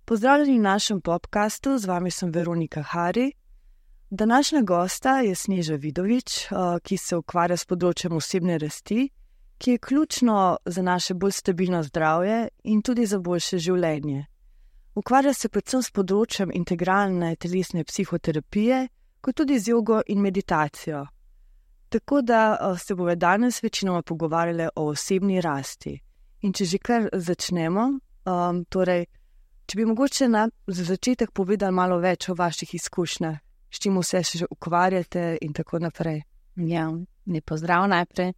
Pozdravljeni v našem podcastu, z vami sem Veronika Hari. Današnja gosta je Sneža Vidovič, ki se ukvarja s področjem osebne rasti, ki je ključno za naše bolj stabilno zdravje in tudi za boljše življenje. Ukvarja se predvsem s področjem integralne telesne psihoterapije, kot tudi z jogo in meditacijo. Tako da se bomo danes večinoma pogovarjali o osebni rasti. In če že kar začnemo, če bi mogoče za začetek povedali malo več o vaših izkušnjah, s čim vse še ukvarjate in tako naprej. Ja, lep pozdrav najprej.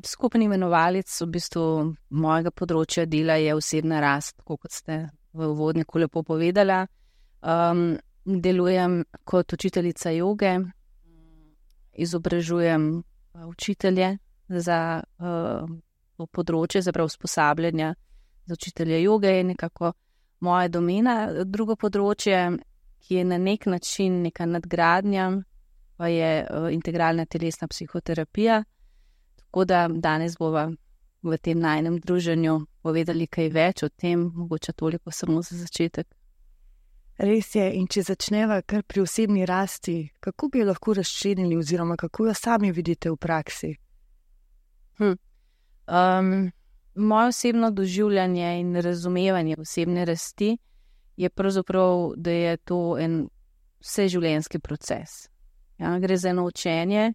Skupni imenovalec v bistvu mojega področja dela je osebna rast, tako kot ste v uvodniku lepo povedala. Delujem kot učiteljica joge, izobražujem učitelje za to področje, za usposabljanja za učitelje joge je nekako moja domena. Drugo področje, ki je na nek način neka nadgradnja, pa je integralna telesna psihoterapija. Tako da danes bova v tem najnem druženju povedali kaj več o tem, mogoče toliko samo za začetek. Res je, in če začneva kar pri osebni rasti, kako bi jo lahko razčlenili oziroma kako jo sami vidite v praksi? Moje osebno doživljanje in razumevanje osebne rasti je pravzaprav, da je to en vseživljenjski proces. Ja, gre za eno učenje,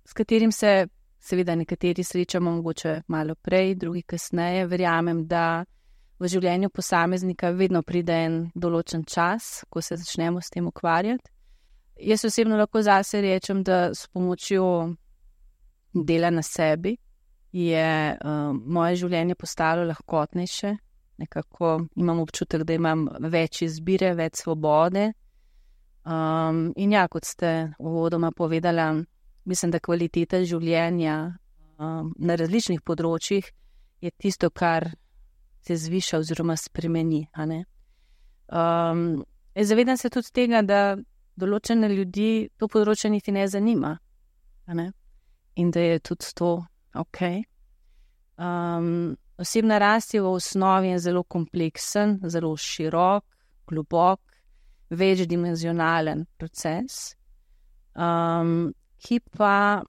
s katerim se seveda nekateri srečamo mogoče malo prej, drugi kasneje. Verjamem, da v življenju posameznika vedno pride en določen čas, ko se začnemo s tem ukvarjati. Jaz osebno lahko zase rečem, da s pomočjo dela na sebi je moje življenje postalo lahkotnejše. Nekako imam občutek, da imam več izbire, več svobode. In ja, kot ste uvodoma povedala, mislim, da kvaliteta življenja na različnih področjih je tisto, kar se zviša oziroma spremeni. Zavedam se tudi tega, da določene ljudi to področje niti ne zanima. In da je tudi to ok. Osebna rast je v osnovi zelo kompleksen, zelo širok, globok, večdimenzionalen proces, ki pa,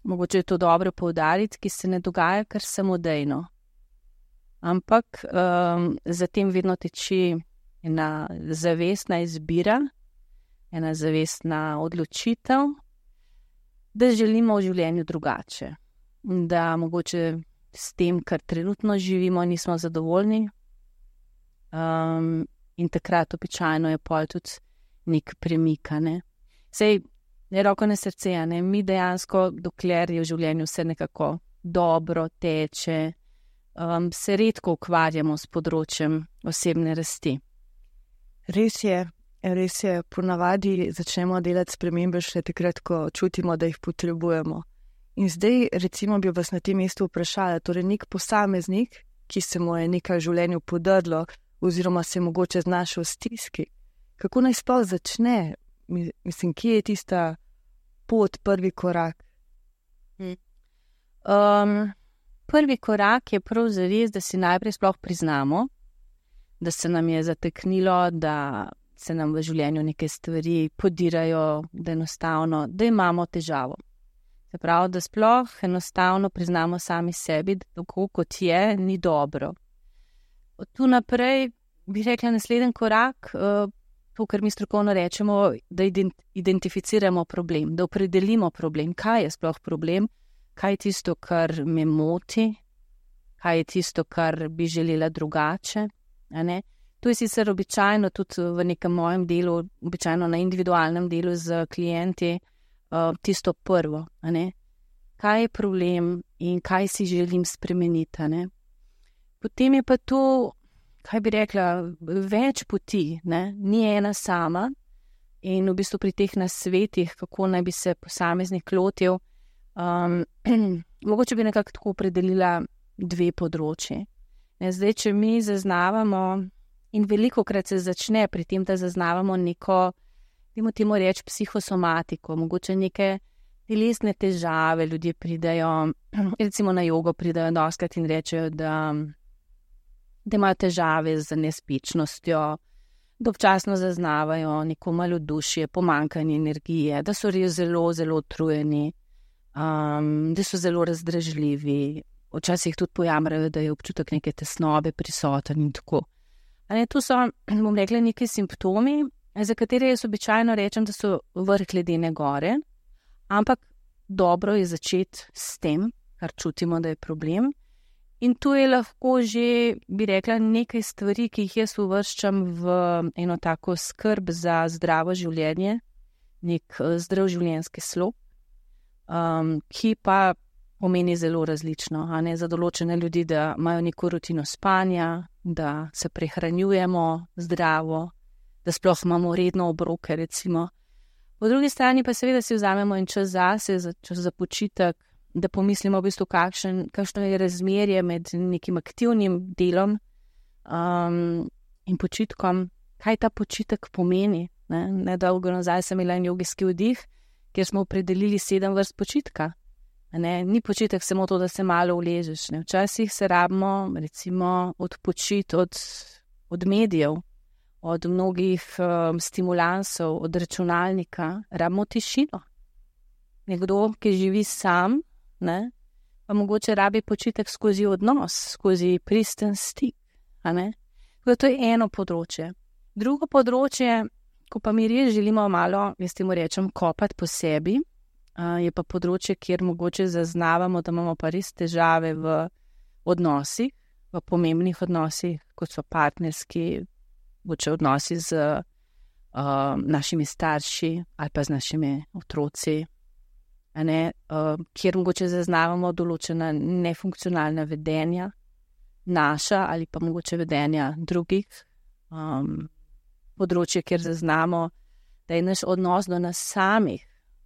mogoče je to dobro poudariti, ki se ne dogaja kar samodejno. Ampak za tem vedno teči ena zavestna izbira, ena zavestna odločitev, da želimo v življenju drugače. Da mogoče s tem, kar trenutno živimo, nismo zadovoljni. In takrat običajno je pol tudi nek premik. Sej, ne roko na srce, mi dejansko, dokler je v življenju vse nekako dobro teče, se redko ukvarjamo s področjem osebne rasti. Res je, ponavadi začnemo delati spremembe šele takrat, ko čutimo, da jih potrebujemo. In zdaj, recimo, bi vas na tem mestu vprašala, torej nek posameznik, ki se mu je nekaj v življenju podrlo, oziroma se mogoče znašel v stiski, kako naj sploh začne? Mislim, kje je tista pot, prvi korak? Prvi korak je prav zares, da si najprej sploh priznamo, da se nam je zateknilo, da se nam v življenju neke stvari podirajo, da enostavno, da imamo težavo. Se pravi, da sploh enostavno priznamo sami sebi, da tako kot je, ni dobro. Od tu naprej bi rekla naslednji korak, to, kar mi strokovno rečemo, da identificiramo problem, da opredelimo problem, kaj je sploh problem, kaj je tisto, kar me moti, kaj je tisto, kar bi želela drugače. To je sicer običajno tudi v nekem mojem delu, običajno na individualnem delu z klienti, tisto prvo. Kaj je problem in kaj si želim spremeniti. Potem je pa to, kaj bi rekla, več poti, ni ena sama. In v bistvu pri teh nasvetih, kako naj bi se posameznik lotil, mogoče bi nekako tako opredelila dve področji. Zdaj, če mi zaznavamo, in velikokrat se začne pri tem, da zaznavamo neko temu reči psihosomatiko, mogoče neke telesne težave, ljudje pridejo, recimo na jogo pridejo dostikrat in rečejo, da imajo težave z nespečnostjo, da občasno zaznavajo neko malodušje, pomanjkanje energije, da so res zelo, zelo utrujeni, da so zelo razdražljivi, včasih tudi pojamrajo, da je občutek neke tesnobe prisoten in tako. To so, bom rekla, neki simptomi, za katere jaz običajno rečem, da so vrh ledene gore, ampak dobro je začeti s tem, kar čutimo, da je problem. In tu je lahko že, bi rekla, nekaj stvari, ki jih jaz uvrščam v eno tako skrb za zdravo življenje, nek zdrav življenjski slog, ki pa pomeni zelo različno. Za določene ljudi, da imajo neko rutino spanja, da se prehranjujemo zdravo, da sploh imamo redno obroke, recimo. Po drugi strani pa seveda si vzamemo en čas zase, čas za počitek, da pomislimo v bistvu, kakšno je razmerje med nekim aktivnim delom in počitkom, kaj ta počitek pomeni. Nedolgo nazaj sem imela en jogijski vdih, kjer smo opredelili 7 vrst počitka. Ni počitek samo to, da se malo uležeš. Včasih se rabimo, recimo, odpočiti od medijev, od mnogih stimulansov, od računalnika, rabimo tišino. Nekdo, ki živi sam, pa mogoče rabi počitek skozi odnos, skozi pristen stik. To je eno področje. Drugo področje, ko pa mi res želimo malo, jaz temu rečem, kopati po sebi, je pa področje, kjer mogoče zaznavamo, da imamo pa res težave v odnosih, v pomembnih odnosih, kot so partnerski, mogoče odnosi z našimi starši ali pa z našimi otroci, kjer mogoče zaznavamo določena nefunkcionalna vedenja, naša ali pa mogoče vedenja drugih, področje, kjer zaznamo, da je naš odnos do nas samih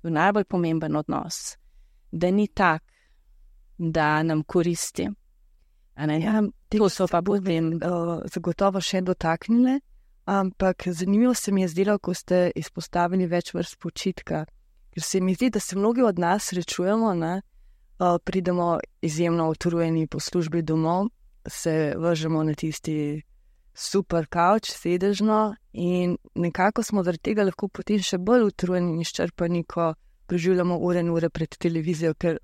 najbolj pomemben odnos, da ni tak, da nam koristi. To so pa budem zagotovo še dotaknile, ampak zanimivo se mi je zdelo, ko ste izpostavili več vrst počitka, ker se mi zdi, da se mnogi od nas srečujemo, pridemo izjemno utrujeni po službi domov, se vržemo na tisti super kavč, sedežno, in nekako smo zaradi tega lahko potem še bolj utrujeni in izčrpani, ko preživljamo ure in ure pred televizijo, ker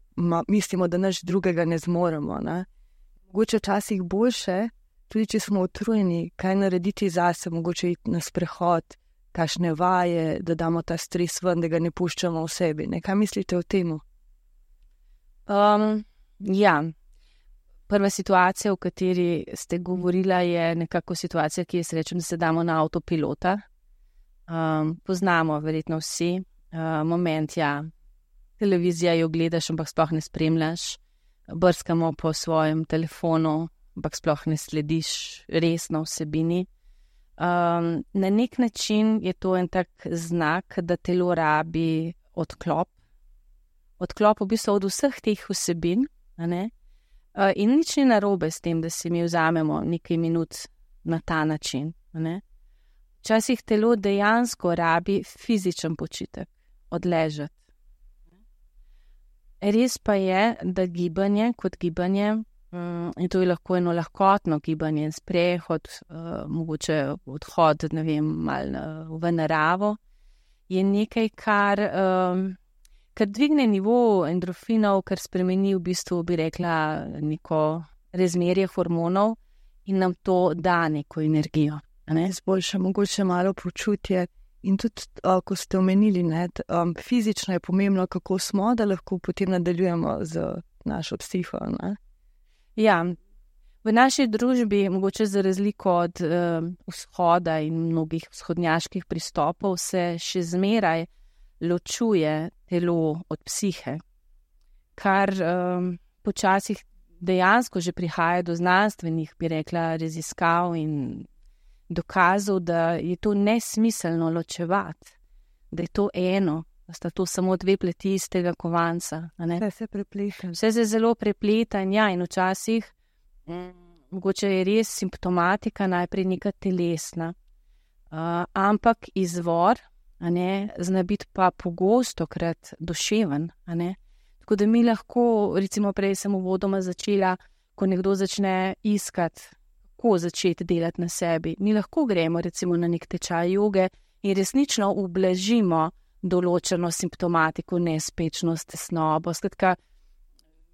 mislimo, da nič drugega ne zmoremo. Mogoče včasih boljše, tudi če smo utrujeni, kaj narediti zase, mogoče iti na sprehod, kakšne vaje, da damo ta stres ven, da ga ne puščamo v sebi. Kaj mislite o tem? Prva situacija, o kateri ste govorila, je nekako situacija, ki jaz rečem, da se damo na avtopilota. Poznamo verjetno vsi moment, televizija jo gledaš, ampak sploh ne spremljaš, brskamo po svojem telefonu, ampak sploh ne slediš resno vsebini. Na nek način je to en tak znak, da telo rabi odklop. Odklop v bistvu od vseh teh vsebin, in nič ni narobe s tem, da si mi vzamemo nekaj minut na ta način. Včasih telo dejansko rabi fizičen počitek, odležati. Res pa je, da gibanje kot gibanje, in to je lahko eno lahkotno gibanje, sprehod, mogoče odhod, malo v naravo, je nekaj, kar dvigne nivo endorfinov, kar spremeni v bistvu, bi rekla, neko razmerje hormonov in nam to da neko energijo. Izboljša mogoče malo počutje in tudi, ko ste omenili, fizično je pomembno, kako smo, da lahko potem nadaljujemo z našo psiho. V naši družbi, mogoče za razliko od vzhoda in mnogih vzhodnjaških pristopov, se še zmeraj ločuje telo od psihe, kar počasih dejansko že prihaja do znanstvenih, bi rekla, raziskav in dokazov, da je to nesmiselno ločevati, da je to eno, da sta to samo dve pleti istega kovanca. Vse se prepleta. Vse se zelo prepleta in včasih mogoče je res simptomatika najprej neka telesna, ampak izvor zna biti pa pogostokrat duševen. Tako da mi lahko, recimo prej sem uvodoma začela, ko nekdo začne iskati, kako začeti delati na sebi, mi lahko gremo recimo na nek tečaj joge in resnično ublažimo določeno simptomatiko, nespečnost, tesnobo. Skratka,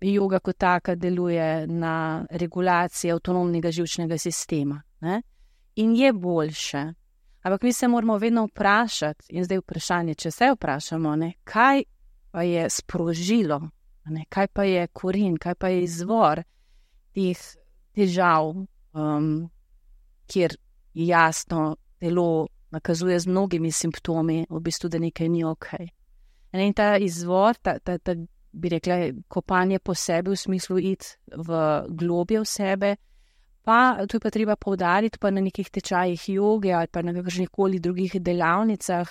joga kot taka deluje na regulacijo avtonomnega živčnega sistema. In je boljše. Ampak mi se moramo vedno vprašati, in zdaj vprašanje, če se vprašamo, kaj pa je sprožilo, kaj pa je koren, kaj pa je izvor teh težav, kjer jasno telo nakazuje z mnogimi simptomi, v bistvu, da nekaj ni okej. In ta izvor, ta bi rekla, kopanje po sebi, v smislu iti v globje v sebe, pa to je pa treba poudariti, pa na nekih tečajih joge ali pa na kakršnikoli drugih delavnicah.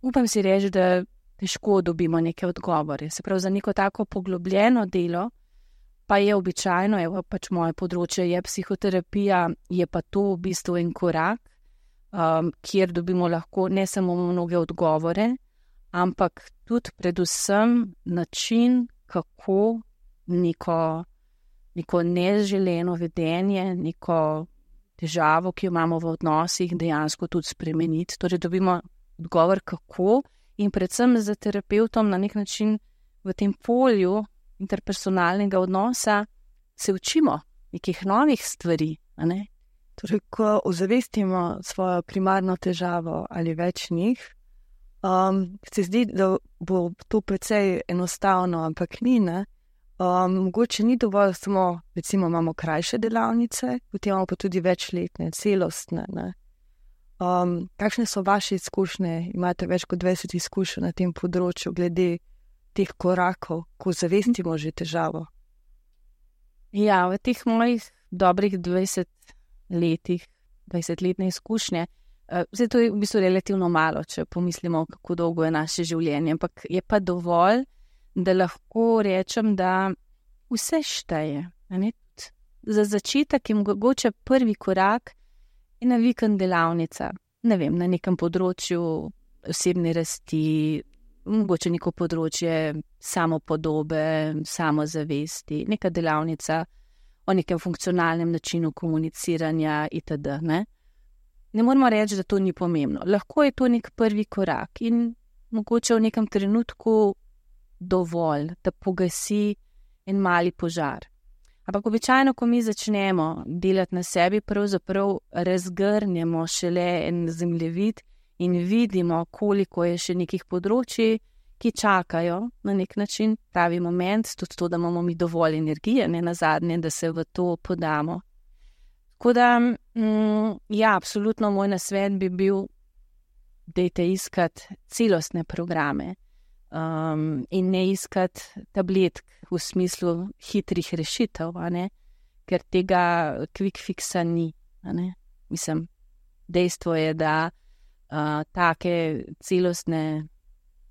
Upam si reči, da težko dobimo neke odgovore. Se pravi, za neko tako poglobljeno delo, pa je običajno, evo pač moje področje je psihoterapija, je pa to v bistvu en korak, kjer dobimo lahko ne samo mnoge odgovore, ampak tudi predvsem način, kako neko neželeno vedenje, neko težavo, ki jo imamo v odnosih, dejansko tudi spremeniti. Torej dobimo odgovor kako in predvsem za terapevtom na nek način v tem polju interpersonalnega odnosa se učimo nekih novih stvari. Torej, ko ozavestimo svojo primarno težavo ali več njih, se zdi, da bo to precej enostavno, ampak ni, mogoče ni dovolj samo, recimo imamo krajše delavnice, potem imamo pa tudi večletne, celostne. Kakšne so vaše izkušnje? Imate več kot 20 izkušenj na tem področju glede teh korakov, ko zavestimo že težavo? Ja, v teh mojih dobrih 20-letne izkušnje, zdaj to je v bistvu relativno malo, če pomislimo, kako dolgo je naše življenje, ampak je pa dovolj, da lahko rečem, da vse šteje. Za začetek je mogoče prvi korak ena vikend delavnica, ne vem, na nekem področju osebne rasti, mogoče neko področje samopodobe, samozavesti, neka delavnica o nekem funkcionalnem načinu komuniciranja itd. Ne moramo reči, da to ni pomembno. Lahko je to nek prvi korak in mogoče v nekem trenutku dovolj, da pogasi en mali požar. Ampak običajno, ko mi začnemo delati na sebi, pravzaprav razgrnemo šele en zemljevid in vidimo, koliko je še nekih področji, ki čakajo na nek način pravi moment, tudi to, da imamo mi dovolj energije, ne nazadnje, da se v to podamo. Tako da, ja, absolutno moj nasvet bi bil, dajte iskati celostne programe in ne iskati tabletk v smislu hitrih rešitev, ker tega quick fixa ni. Mislim, dejstvo je, da take celostne,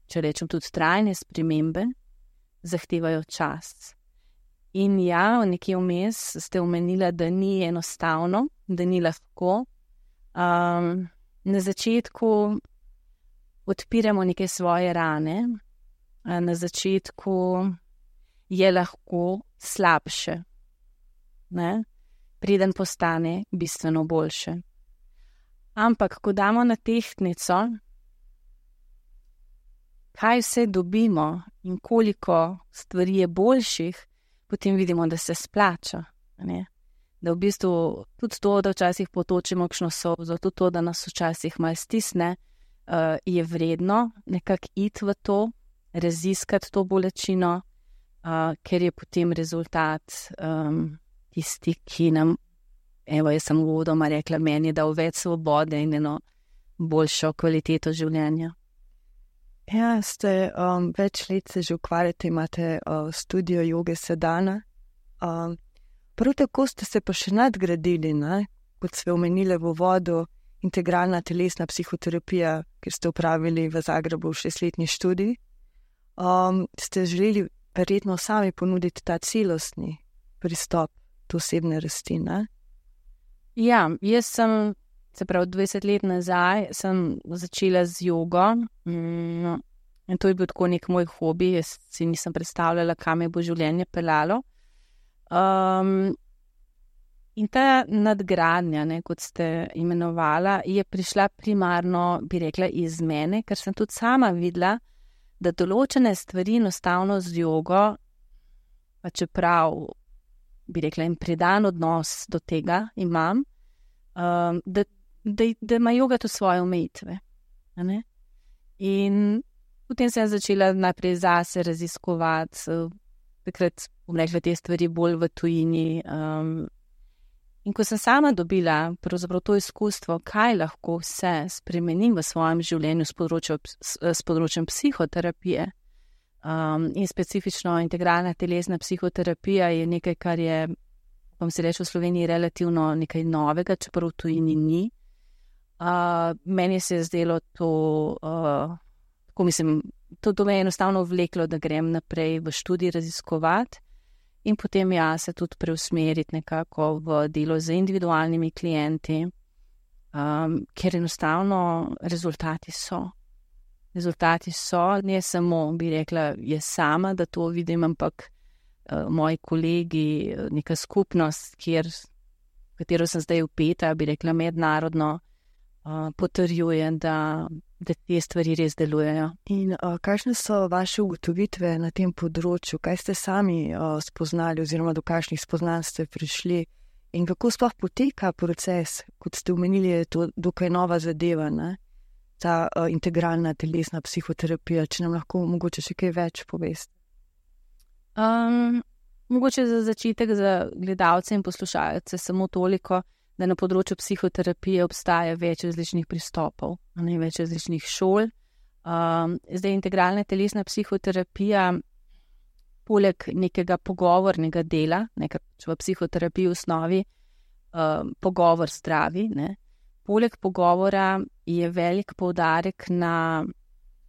če rečem tudi trajne spremembe, zahtevajo čas. In ja, nekje vmes ste omenila, da ni enostavno, da ni lahko. Na začetku odpiramo neke svoje rane, na začetku je lahko slabše, preden postane bistveno boljše. Ampak, ko damo na tehtnico, kaj vse dobimo in koliko stvari je boljših, potem vidimo, da se splača. Da v bistvu tudi to, da včasih potočimo kakšno solzo, tudi to, da nas včasih malo stisne, je vredno nekako iti v to, raziskati to bolečino, ker je potem rezultat tisti, ki nam, evo, jaz sem uvodoma rekla, meni je dal več svobode in eno boljšo kvaliteto življenja. Ja, ste več let se že ukvarjate, imate studio joge Sadhana. Prav tako ste se pa še nadgradili, kot ste omenili v uvodu, integralna telesna psihoterapija, ker ste opravili v Zagrebu 6-letni študij. Ste želeli verjetno sami ponuditi ta celostni pristop do osebne rasti, Ja, jaz sem se pravi 20 let nazaj, sem začela z jogo. In to je bil tako nek moj hobi, jaz si nisem predstavljala, kam me bo življenje peljalo. In ta nadgradnja, kot ste imenovala, je prišla primarno, bi rekla, iz mene, ker sem tudi sama videla, da določene stvari enostavno z jogo, pa čeprav, bi rekla, in predan odnos do tega imam, da ima joga tudi svoje omejitve. In potem sem začela najprej zase raziskovati, takrat bom rekla te stvari bolj v tujini. In ko sem sama dobila pravzaprav to izkustvo, kaj lahko vse spremenim v svojem življenju s področjem psihoterapije, in specifično integralna telesna psihoterapija je nekaj, kar je, bom si reči, v Sloveniji relativno nekaj novega, čeprav v tujini ni. Meni se je zdelo to, to me je enostavno vleklo, da grem naprej v študij raziskovati. In potem se tudi preusmeriti nekako v delo z individualnimi klienti, ker enostavno rezultati so. Rezultati so, ne samo, bi rekla, jaz sama, da to vidim, ampak moji kolegi, neka skupnost, katero sem zdaj vpeta, bi rekla mednarodno, potrjuje, da te stvari res delujejo. In kakšne so vaše ugotovitve na tem področju? Kaj ste sami spoznali oziroma do kakšnih spoznanj ste prišli? In kako sploh poteka proces, kot ste omenili, je to dokaj nova zadeva, ne? Ta integralna telesna psihoterapija, če nam lahko mogoče še kaj več poveste? Mogoče za začetek za gledalce in poslušalce samo toliko, da na področju psihoterapije obstaja več različnih pristopov, več različnih šol. Zdaj integralna telesna psihoterapija, poleg nekega pogovornega dela, ker v psihoterapiji v osnovi pogovor zdravi, poleg pogovora je velik poudarek na,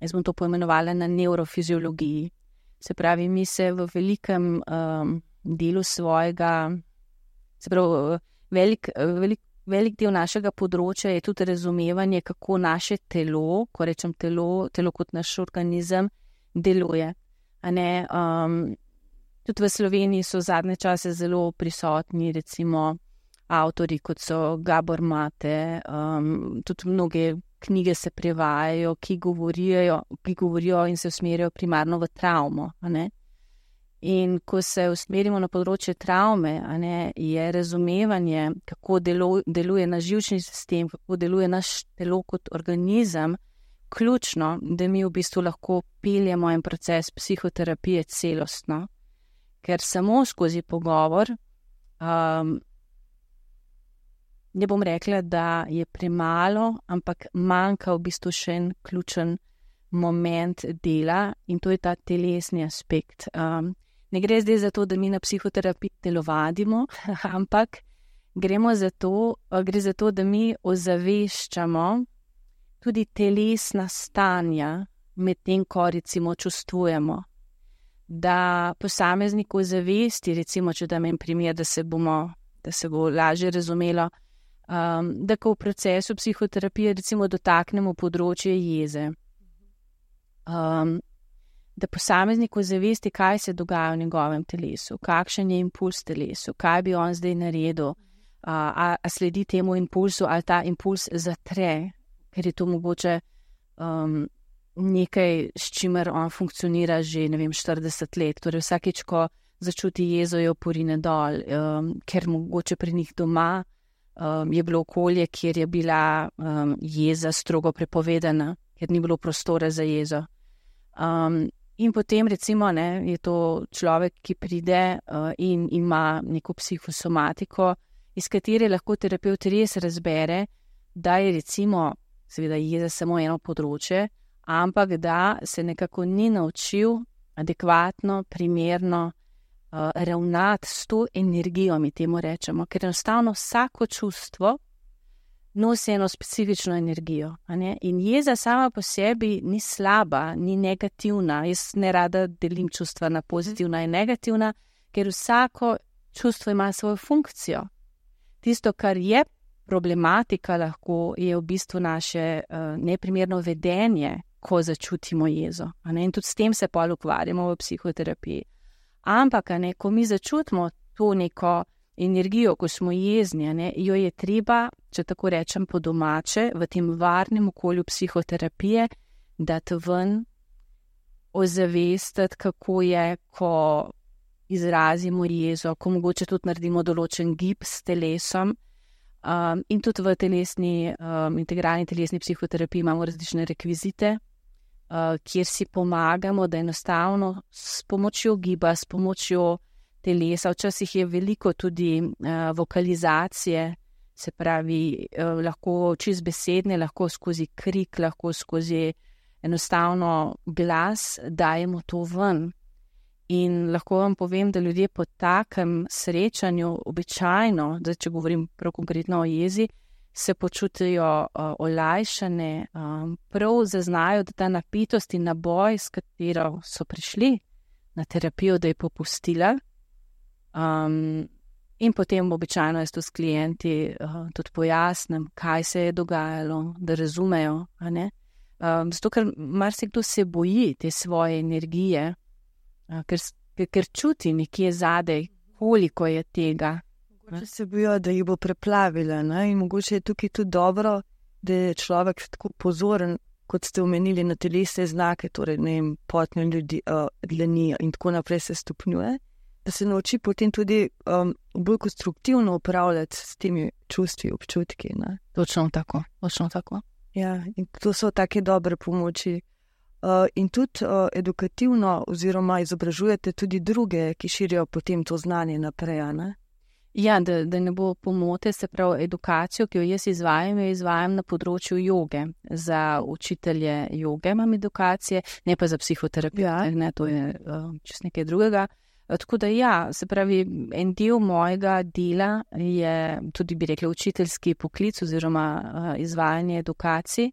jaz bom to poimenovala, na nevrofiziologiji. Se pravi, mi se v velikem delu svojega, se pravi, velik del našega področja je tudi razumevanje, kako naše telo, ko rečem telo kot naš organizem, deluje. Tudi v Sloveniji so zadnje čase zelo prisotni, recimo, avtorji, kot so Gabor Mate, tudi mnoge knjige se prevajajo, ki govorijo in se usmerjajo primarno v travmo, In ko se usmerimo na področje travme, je razumevanje, kako deluje naš živčni sistem, kako deluje naš telo kot organizem, ključno, da mi v bistvu lahko peljemo en proces psihoterapije celostno. Ker samo skozi pogovor, ne bom rekla, da je premalo, ampak manjka v bistvu še en ključen moment dela in to je ta telesni aspekt. Ne gre zdaj za to, da mi na psihoterapiji telovadimo, ampak gre za to, da mi ozaveščamo tudi telesna stanja med tem, ko recimo čustvujemo. Da posameznik ozavesti, recimo, če dam en primer, da se bo lažje razumelo, da ko v procesu psihoterapije recimo dotaknemo področje jeze. Da posameznik ozavesti, kaj se dogaja v njegovem telesu, kakšen je impuls telesu, kaj bi on zdaj naredil, a sledi temu impulsu ali ta impuls zatre, ker je to mogoče nekaj, s čimer on funkcionira že, 40 let. Torej vsakič, ko začuti jezo, jo porine dol, ker mogoče pri njih doma je bilo okolje, kjer je bila jeza strogo prepovedana, ker ni bilo prostora za jezo. In potem recimo je to človek, ki pride in ima neko psihosomatiko, iz katere lahko terapevt res razbere, da je recimo, seveda jeza samo eno področje, ampak da se nekako ni naučil adekvatno, primerno ravnati s to energijo, mi temu rečemo, ker enostavno vsako čustvo nosi eno specifično energijo. In jeza sama po sebi ni slaba, ni negativna. Jaz ne rada delim čustva na pozitivna in negativna, ker vsako čustvo ima svojo funkcijo. Tisto, kar je problematika lahko je v bistvu naše neprimerno vedenje, ko začutimo jezo. In tudi s tem se pol ukvarjamo v psihoterapiji. Ampak, ko mi začutimo to neko energijo, ko smo jezni, jo je treba, če tako rečem po domače, v tem varnem okolju psihoterapije, dati ven, ozavestiti, kako je, ko izrazimo jezo, ko mogoče tudi naredimo določen gib s telesom. In tudi v integralni telesni psihoterapiji imamo različne rekvizite, kjer si pomagamo, da enostavno s pomočjo giba, s pomočjo telesa, včasih je veliko tudi vokalizacije, se pravi, lahko čist besedne, lahko skozi krik, lahko skozi enostavno glas, dajemo to ven. In lahko vam povem, da ljudje po takem srečanju običajno, zdaj če govorim prav konkretno o jezi, se počutijo olajšane, prav zaznajo, da ta napetost in naboj, s katero so prišli na terapijo, da je popustila. In potem običajno jaz to s klienti tudi pojasnim, kaj se je dogajalo, da razumejo. Zato, ker marsikdo se boji te svoje energije, ker čuti nekje zadej, koliko je tega. Mogoče se bojo, da jih bo preplavila, in mogoče je tukaj tudi dobro, da je človek tako pozoren, kot ste omenili, na telesne znake, torej potne ljudi, dlani in tako naprej se stopnjuje, da se nauči potem tudi bolj konstruktivno upravljati s temi čustvi, občutki. Točno tako. Ja, in to so take dobre pomoči. In tudi edukativno oziroma izobražujete tudi druge, ki širijo potem to znanje naprej, Ja, da ne bo pomote, se pravi, edukacijo, ki jo jaz izvajam na področju joge. Za učitelje joge imam edukacije, ne pa za psihoterapijo, to je čisto nekaj drugega. Tako da se pravi, en del mojega dela je tudi, bi rekla, učiteljski poklic oziroma izvajanje edukacij.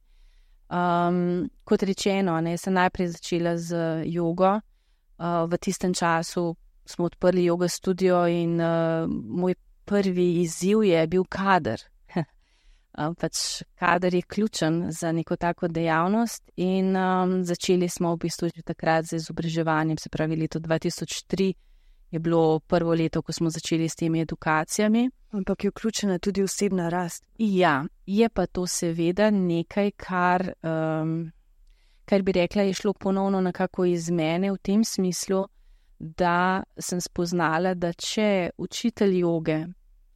Kot rečeno, sem najprej začela z jogo. V tistem času smo odprli joga studio in moj prvi izziv je bil kader. Kader je ključen za neko tako dejavnost in začeli smo v bistvu že takrat z izobraževanjem, se pravi leto 2003 je bilo prvo leto, ko smo začeli s temi edukacijami. Ampak je vključena tudi osebna rast. Ja, je pa to seveda nekaj, kar bi rekla, je šlo ponovno nekako iz mene v tem smislu, da sem spoznala, da če učitelj joge,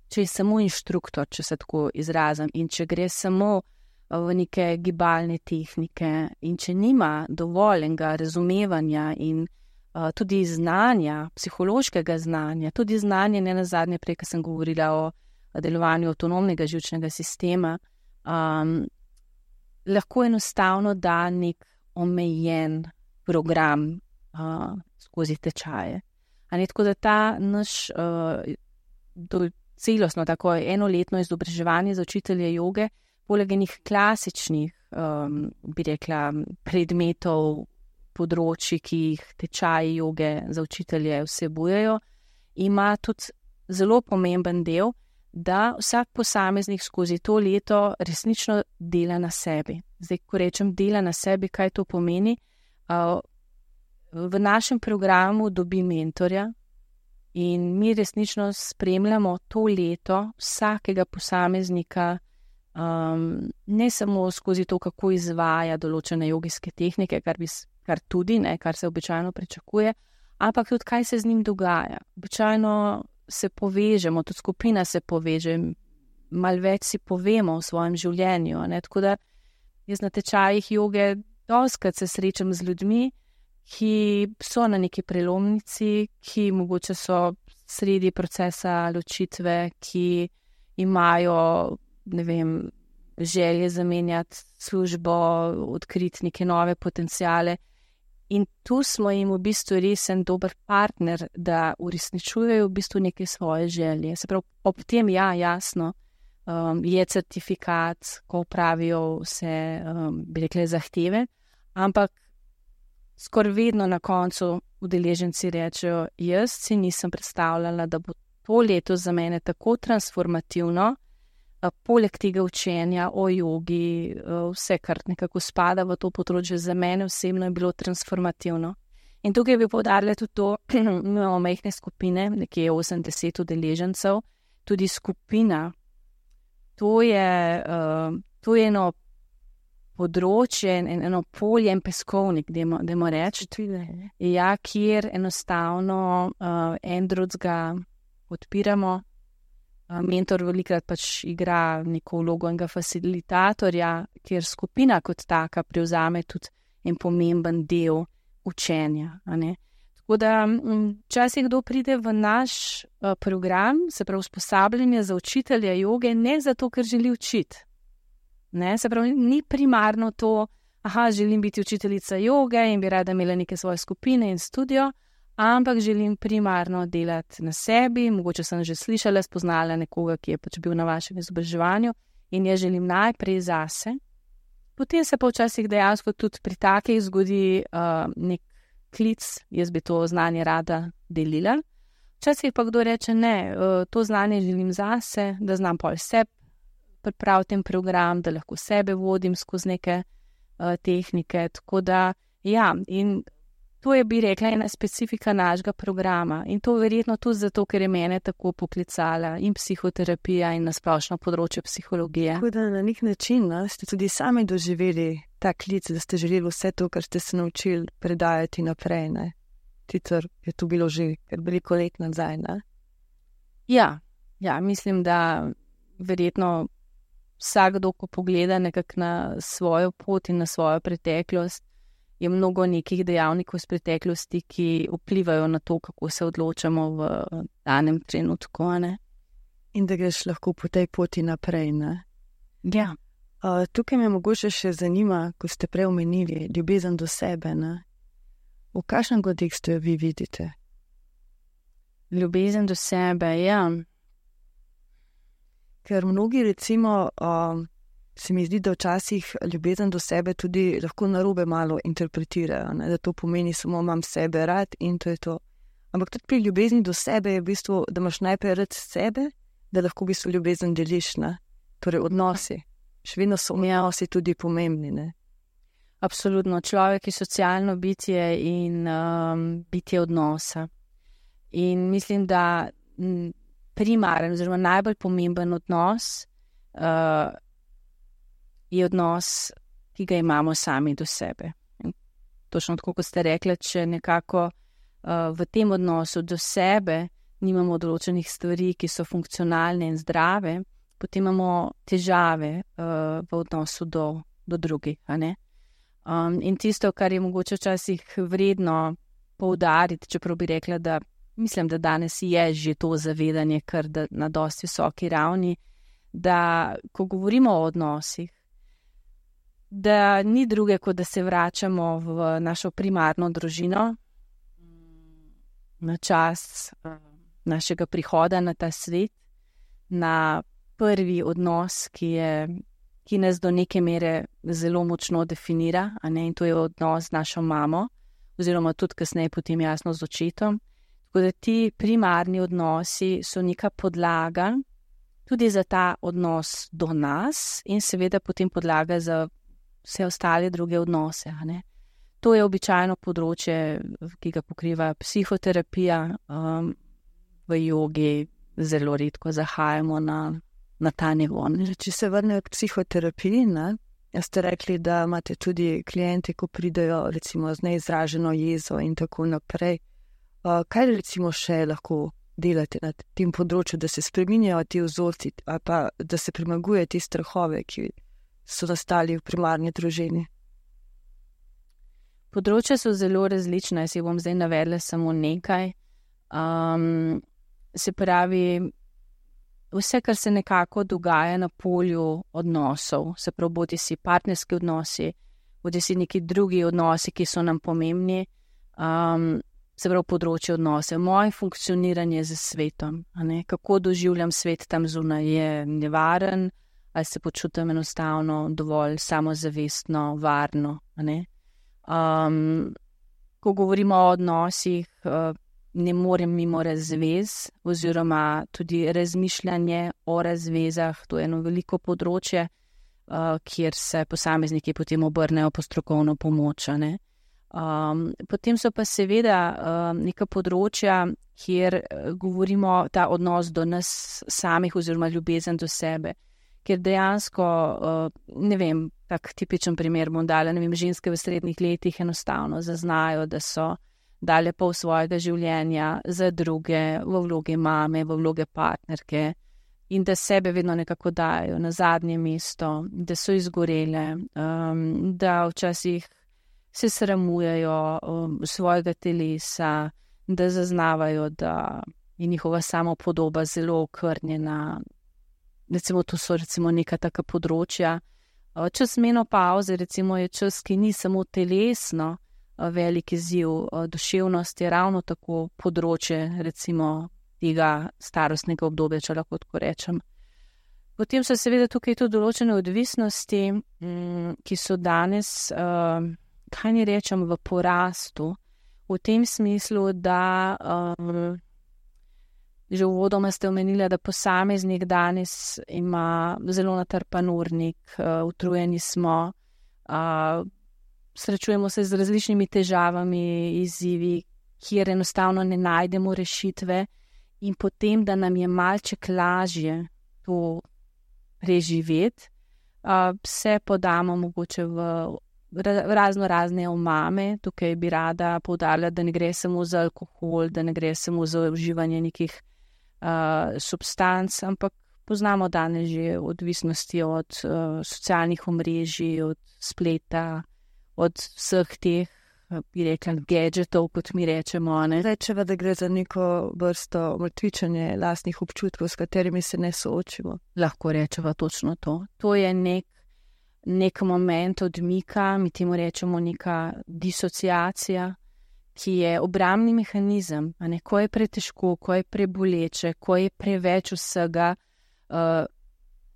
če je samo inštruktor, če se tako izrazim, in če gre samo v neke gibalne tehnike in če nima dovoljenega razumevanja in tudi znanja, psihološkega znanja, tudi znanje, ne nazadnje, prej, ko sem govorila o delovanju avtonomnega živčnega sistema, lahko enostavno da nek omejen program skozi tečaje. Tako da ta naš celostno, tako enoletno izobraževanje za učitelje joge, poleg enih klasičnih, bi rekla, predmetov, področji, ki jih tečaji joge za učitelje vsebujejo, ima tudi zelo pomemben del, da vsak posameznik skozi to leto resnično dela na sebi. Zdaj, ko rečem dela na sebi, kaj to pomeni? V našem programu dobi mentorja in mi resnično spremljamo to leto vsakega posameznika, ne samo skozi to, kako izvaja določene jogijske tehnike, kar tudi, kar se običajno pričakuje, ampak tudi, kaj se z njim dogaja. Običajno se povežemo, tudi skupina se poveže, malo več si povemo o svojem življenju. Tako da jaz na tečajih joge dostikrat se srečam z ljudmi, ki so na neki prelomnici, ki mogoče so sredi procesa ločitve, ki imajo, želje zamenjati službo, odkriti neke nove potencijale. In tu smo jim v bistvu res en dober partner, da uresničujejo v bistvu neke svoje želje. Se pravi, ob tem, jasno, je certifikat, ko pravijo vse, bi rekli, zahteve, ampak skoraj vedno na koncu udeleženci rečejo, jaz si nisem predstavljala, da bo to leto za mene tako transformativno, poleg tega učenja o jogi, vse, kar nekako spada v to področje, za mene osebno je bilo transformativno. In tukaj bi poudarila tudi to, imamo majhne skupine, nekje 80 udeležencev, tudi skupina. To je eno področje, eno polje, en peskovnik, dajmo reči, ja, kjer enostavno en drugega podpiramo. Mentor velikrat pač igra neko vlogo enega facilitatorja, kjer skupina kot taka prevzame tudi en pomemben del učenja. Tako da, včasih kdo pride v naš program, se pravi usposabljanje za učitelja joge, ne zato, ker želi učiti. Se pravi, ni primarno to, želim biti učiteljica joge in bi rada imela neke svoje skupine in studio, ampak želim primarno delati na sebi, mogoče sem že slišala, spoznala nekoga, ki je pač bil na vašem izobraževanju in jaz želim najprej zase. Potem se pa včasih dejansko tudi pri takih zgodi nek klic, jaz bi to znanje rada delila. Včasih pa kdo reče, ne, to znanje želim zase, da znam pol sebi pripraviti ten program, da lahko sebe vodim skozi neke tehnike. Tako da, ja, in to je, bi rekla, ena specifika našega programa. In to verjetno tudi zato, ker je mene tako poklicala in psihoterapija in nasplošno področje psihologije. Tako da na nek način ste tudi sami doživeli ta klic, da ste želeli vse to, kar ste se naučili, predajati naprej, ne? Sicer je to bilo že veliko let nazaj, ne? Ja, mislim, da verjetno vsakdo, ko pogleda nekako na svojo pot in na svojo preteklost, je mnogo nekih dejavnikov iz preteklosti, ki vplivajo na to, kako se odločamo v danem trenutku, ne? In da greš lahko po tej poti naprej, ne? Ja. Tukaj me mogoče še zanima, ko ste prej omenili ljubezen do sebe, ne? V kakšnem kontekstu jo vi vidite? Ljubezen do sebe, ja. Ker mnogi recimo, se mi zdi, da včasih ljubezen do sebe tudi lahko narobe malo interpretirajo, ne? Da to pomeni samo imam sebe rad in to je to. Ampak tudi pri ljubezni do sebe je v bistvu, da imaš najprej rad sebe, da lahko v bistvu ljubezen deliš, ne? Torej odnosi. Še vedno so odnosi tudi pomembni, ne? Absolutno. Človek je socialno bitje in bitje odnosa. In mislim, da primaren oziroma najbolj pomemben odnos je odnos, ki ga imamo sami do sebe. In točno tako, kot ste rekli, če nekako v tem odnosu do sebe nimamo določenih stvari, ki so funkcionalne in zdrave, potem imamo težave v odnosu do drugih, a ne? In tisto, kar je mogoče včasih vredno poudariti, čeprav bi rekla, da mislim, da danes je že to zavedanje kar na dosti visoki ravni, da ko govorimo o odnosih, da ni druge, kot da se vračamo v našo primarno družino, na čas našega prihoda na ta svet, na prvi odnos, ki nas do neke mere zelo močno definira, a ne, in to je odnos z našo mamo, oziroma tudi kasneje potem jasno z očetom. Tako da ti primarni odnosi so neka podlaga tudi za ta odnos do nas in seveda potem podlaga za vse ostale druge odnose, a ne. To je običajno področje, ki ga pokriva psihoterapija, v jogi zelo redko zahajamo na ta nivo. Če se vrnejo k psihoterapiji, ne, ste rekli, da imate tudi kliente, ko pridejo recimo z neizraženo jezo in tako naprej. Kaj recimo še lahko delate na tem področju, da se spreminjajo ti vzorci ali pa da se premaguje te strahove, ki so nastali v primarni družini? Področja so zelo različna, jaz jih bom zdaj navedla samo nekaj. Se pravi, vse, kar se nekako dogaja na polju odnosov, se pravi, bodi si partnerski odnosi, bodi si neki drugi odnosi, ki so nam pomembni, se pravi, področje odnose, moje funkcioniranje z svetom, a ne, kako doživljam svet tam zunaj, je nevaren, ali se počutim enostavno dovolj samozavestno, varno, a ne. Ko govorimo o odnosih, ne morem mimo razvez oziroma tudi razmišljanje o razvezah. To je eno veliko področje, kjer se posamezniki potem obrnejo po strokovno pomoč. Potem so pa seveda neka področja, kjer govorimo ta odnos do nas samih oziroma ljubezen do sebe, ker dejansko, ne vem, tak tipičen primer bom dala, ne vem, ženske v srednjih letih enostavno zaznajo, da so dale pol svojega življenja za druge, v vlogi mame, v vloge partnerke in da sebe vedno nekako dajo na zadnje mesto, da so izgorele, da včasih se sramujejo svojega telesa, da zaznavajo, da je njihova samopodoba zelo okrnjena. Recimo, to so recimo neka taka področja. Čas menopavze, recimo, je čas, ki ni samo telesno velik izziv, duševnost je ravno tako področje, recimo, tega starostnega obdobja, če lahko tako rečem. Potem so seveda tukaj tudi določene odvisnosti, ki so danes, kaj ni rečem, v porastu, v tem smislu, da že uvodoma ste omenili, da posameznik danes ima zelo natrpan urnik, utrujeni smo, srečujemo se z različnimi težavami, izzivi, kjer enostavno ne najdemo rešitve in potem, da nam je malček lažje to preživeti, se podamo mogoče v razne omame. Tukaj bi rada poudarila, da ne gre samo za alkohol, da ne gre samo za uživanje nekih substanc, ampak poznamo danes že odvisnosti od socialnih omrežij, od spleta, od vseh teh, bi rekla, gadgetov, kot mi rečemo. Rečeva, da gre za neko vrsto mrtvičenje lastnih občutkov, s katerimi se ne soočimo. Lahko rečeva točno to. To je nek moment odmika, mi temu rečemo neka disociacija, ki je obrambni mehanizem, ko je pretežko, ko je preboleče, ko je preveč vsega,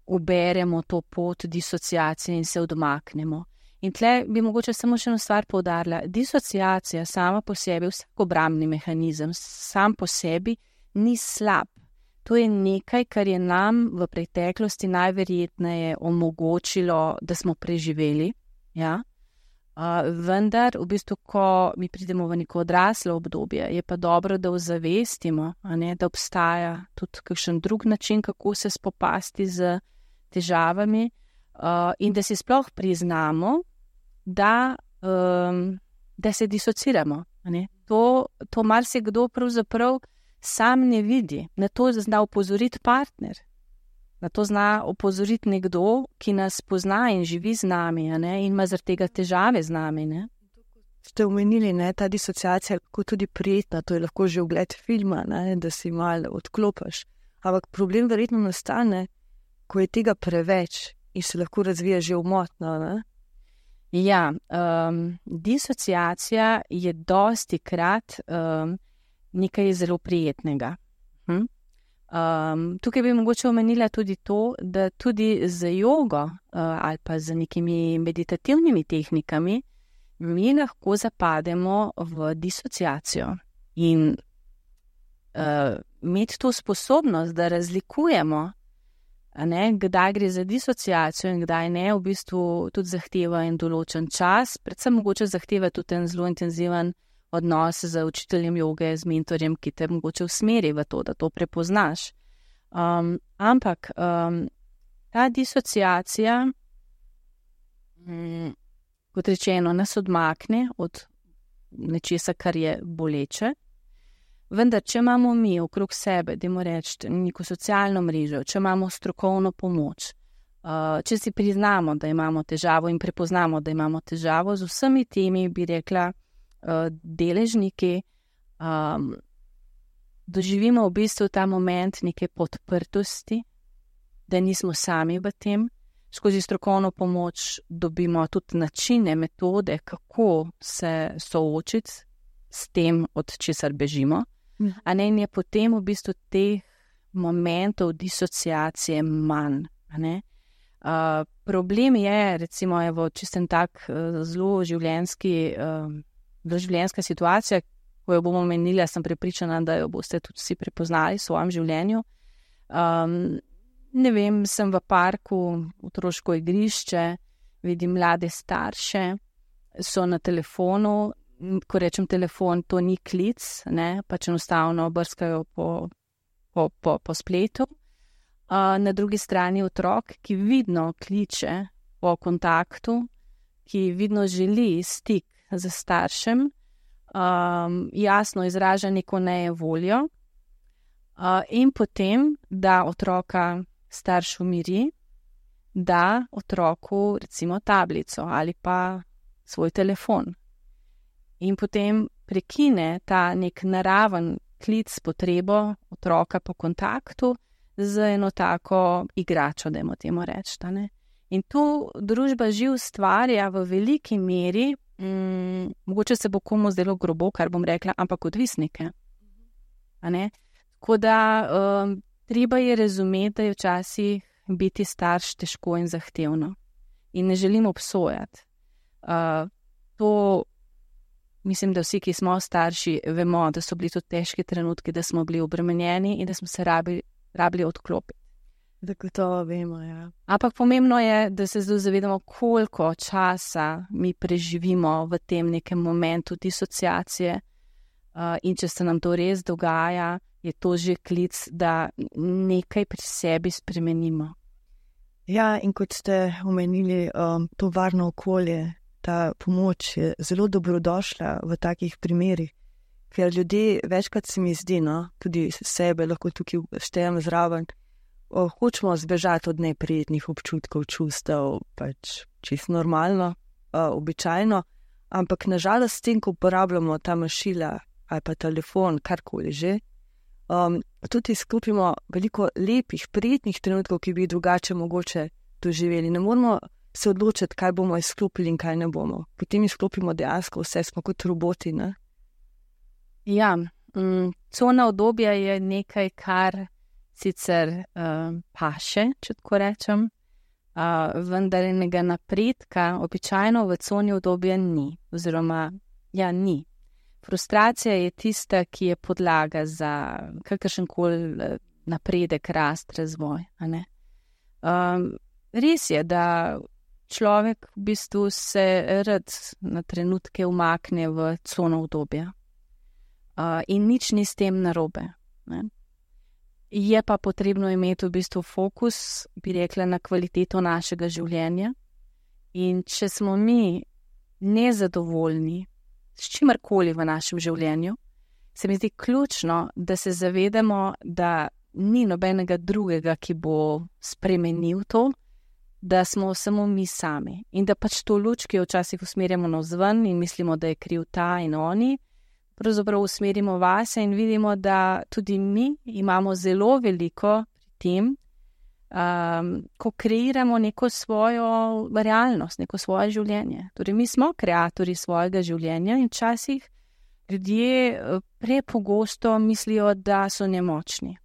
uberemo to pot disociacije in se odmaknemo. In tle bi mogoče samo še eno stvar poudarila. Disociacija sama po sebi, vsak obrambni mehanizem, sam po sebi ni slab. To je nekaj, kar je nam v preteklosti najverjetneje omogočilo, da smo preživeli, ja. Vendar, v bistvu, ko mi pridemo v neko odraslo obdobje, je pa dobro, da ozavestimo, da obstaja tudi kakšen drug način, kako se spopasti z težavami, in da si sploh priznamo, da se disociramo. To marsikdo pravzaprav sam ne vidi. Na to zna opozoriti partner. Na to zna opozoriti nekdo, ki nas pozna in živi z nami, in ima zaradi tega težave z nami. Ste omenili, ta disociacija je lahko tudi prijetna, to je lahko že ogled filma, da si malo odklopiš. Ampak problem verjetno nastane, ko je tega preveč in se lahko razvija že umotno. Ja, disociacija je dosti krat nekaj zelo prijetnega. Tukaj bi mogoče omenila tudi to, da tudi z jogo ali pa z nekimi meditativnimi tehnikami mi lahko zapademo v disociacijo in imeti to sposobnost, da razlikujemo, kdaj gre za disociacijo in kdaj ne, v bistvu tudi zahteva en določen čas, predvsem mogoče zahteva tudi en zelo intenziven odnos z učiteljem joge, z mentorjem, ki te mogoče usmeri v to, da to prepoznaš. Ampak ta disociacija, kot rečeno, nas odmakne od nečesa, kar je boleče. Vendar, če imamo mi okrog sebe, dajmo reči, neko socialno mrežo, če imamo strokovno pomoč, če si priznamo, da imamo težavo in prepoznamo, da imamo težavo, z vsemi temi, bi rekla, deležniki, doživimo v bistvu ta moment neke podprtosti, da nismo sami v tem. Skozi strokovno pomoč dobimo tudi načine, metode, kako se soočiti s tem, od česar bežimo. In je potem v bistvu teh momentov disociacije manj. Problem je, recimo, čisto tak zelo življenjska situacija, ko jo bomo menili, sem prepričana, da jo boste tudi vsi prepoznali v svojem življenju. Ne vem, sem v parku, otroško igrišče, vidim mlade starše, so na telefonu, ko rečem telefon, to ni klic, ne, pač enostavno brskajo po spletu. Na drugi strani otrok, ki vidno kliče po kontaktu, ki vidno želi stik z staršem, jasno izraža neko nejevoljo, in potem, da otroka starš umiri, da otroku recimo tablico ali pa svoj telefon. In potem prekine ta nek naraven klic, potrebo otroka po kontaktu z eno tako igračo, dajmo temu reči. In to družba že ustvarja v veliki meri, mogoče se bo komu zdelo grobo, kar bom rekla, ampak odvisnike. Tako da treba je razumeti, da je včasih biti starš težko in zahtevno. In ne želim obsojati. To mislim, da vsi, ki smo starši, vemo, da so bili to težki trenutki, da smo bili obremenjeni in da smo se rabili odklopiti. Zagotovo vemo, ja. Ampak pomembno je, da se zdaj zavedamo, koliko časa mi preživimo v tem nekem momentu disociacije, in če se nam to res dogaja, je to že klic, da nekaj pri sebi spremenimo. Ja, in kot ste omenili, to varno okolje, ta pomoč je zelo dobrodošla v takih primerih, ker ljudje večkrat se mi zdi, tudi sebe lahko tukaj štejem zraven, hočemo zbežati od neprijetnih občutkov, čustev, pač čisto normalno, običajno, ampak nažalost s tem, ko uporabljamo ta mašila ali pa telefon, karkoli že, tudi izklopimo veliko lepih, prijetnih trenutkov, ki bi drugače mogoče doživeli. Ne moramo se odločiti, kaj bomo izklopili in kaj ne bomo. Potem izklopimo dejansko vse, smo kot roboti, ne? Ja, cona obdobja je nekaj, kar sicer paše, če tako rečem, vendar enega napredka običajno v coni obdobja ni, oziroma ni. Frustracija je tista, ki je podlaga za kakršenkoli napredek, rast, razvoj. Res je, da človek v bistvu se rad na trenutke umakne v cono obdobja. In nič ni s tem narobe. Je pa potrebno imeti v bistvu fokus, bi rekla, na kvaliteto našega življenja. In če smo mi nezadovoljni s čimerkoli v našem življenju, se mi zdi ključno, da se zavedamo, da ni nobenega drugega, ki bo spremenil to, da smo samo mi sami. In da pač to luč, ki jo včasih usmerjamo navzven in mislimo, da je kriv ta in oni, pravzaprav usmerimo vase in vidimo, da tudi mi imamo zelo veliko pri tem, ko kreiramo neko svojo realnost, neko svoje življenje. Torej, mi smo kreatorji svojega življenja in včasih ljudje prepogosto mislijo, da so nemočni.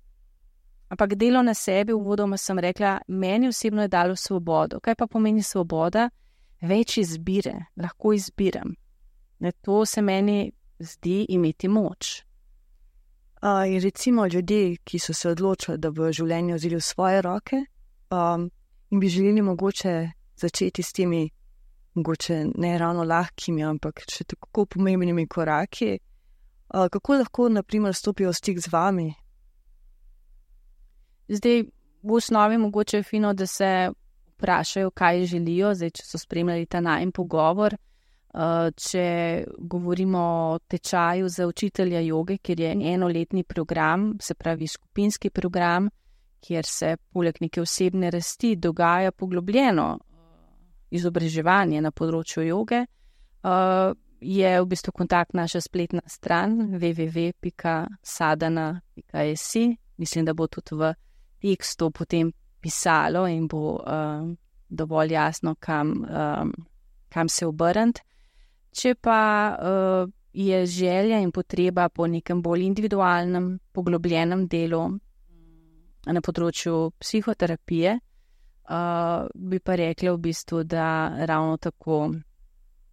Ampak delo na sebi, uvodoma sem rekla, meni osebno je dalo svobodo. Kaj pa pomeni svoboda? Več izbire, lahko izbiram. To se meni zdi imeti moč. In recimo ljudje, ki so se odločili, da v življenju vzeli v svoje roke, in bi želeli mogoče začeti s temi, mogoče ne ravno lahkimi, ampak še tako pomembnimi koraki, kako lahko, na primer, stopijo v stik z vami? Zdaj, v osnovi mogoče je fino, da se vprašajo, kaj želijo, zdaj, če so spremljali ta najin pogovor. Če govorimo o tečaju za učitelja joge, kjer je enoletni program, se pravi skupinski program, kjer se poleg neke osebne rasti dogaja poglobljeno izobraževanje na področju joge, je v bistvu kontakt naša spletna stran www.sadhana.es. Mislim, da bo tudi v tekstu potem pisalo in bo dovolj jasno, kam se obrniti. Če pa je želja in potreba po nekem bolj individualnem, poglobljenem delu na področju psihoterapije, bi pa rekla v bistvu, da ravno tako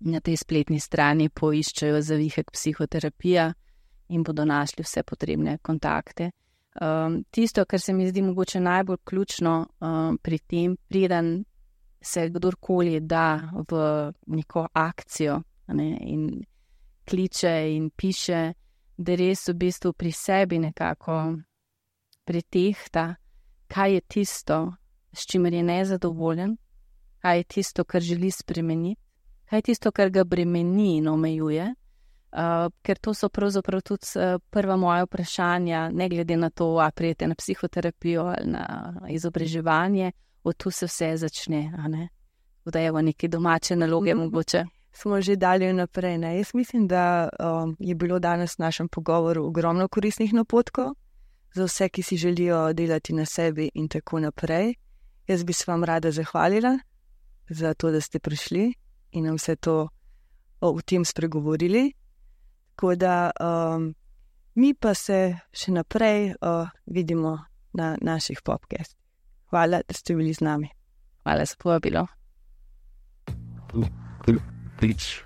na tej spletni strani poiščejo zavihek psihoterapija, in bodo našli vse potrebne kontakte. Tisto, kar se mi zdi mogoče najbolj ključno pri tem, preden se kdorkoli da v neko akcijo, ne, in kliče in piše, da res v bistvu pri sebi nekako pretehta, kaj je tisto, s čimer je nezadovoljen, kaj je tisto, kar želi spremeniti, kaj je tisto, kar ga bremeni in omejuje. Ker to so pravzaprav tudi prva moja vprašanja, ne glede na to, a prijete na psihoterapijo ali na izobraževanje, od tu se vse začne, a ne? Da je v neke domače naloge mogoče. Smo že dalje naprej, ne? Jaz mislim, da je bilo danes v našem pogovoru ogromno koristnih napotkov za vse, ki si želijo delati na sebi in tako naprej. Jaz bi se vam rada zahvalila za to, da ste prišli in nam vse to o tem spregovorili. Tako da mi pa se še naprej vidimo na naših podcastih. Hvala, da ste bili z nami. Hvala za povabilo. Please,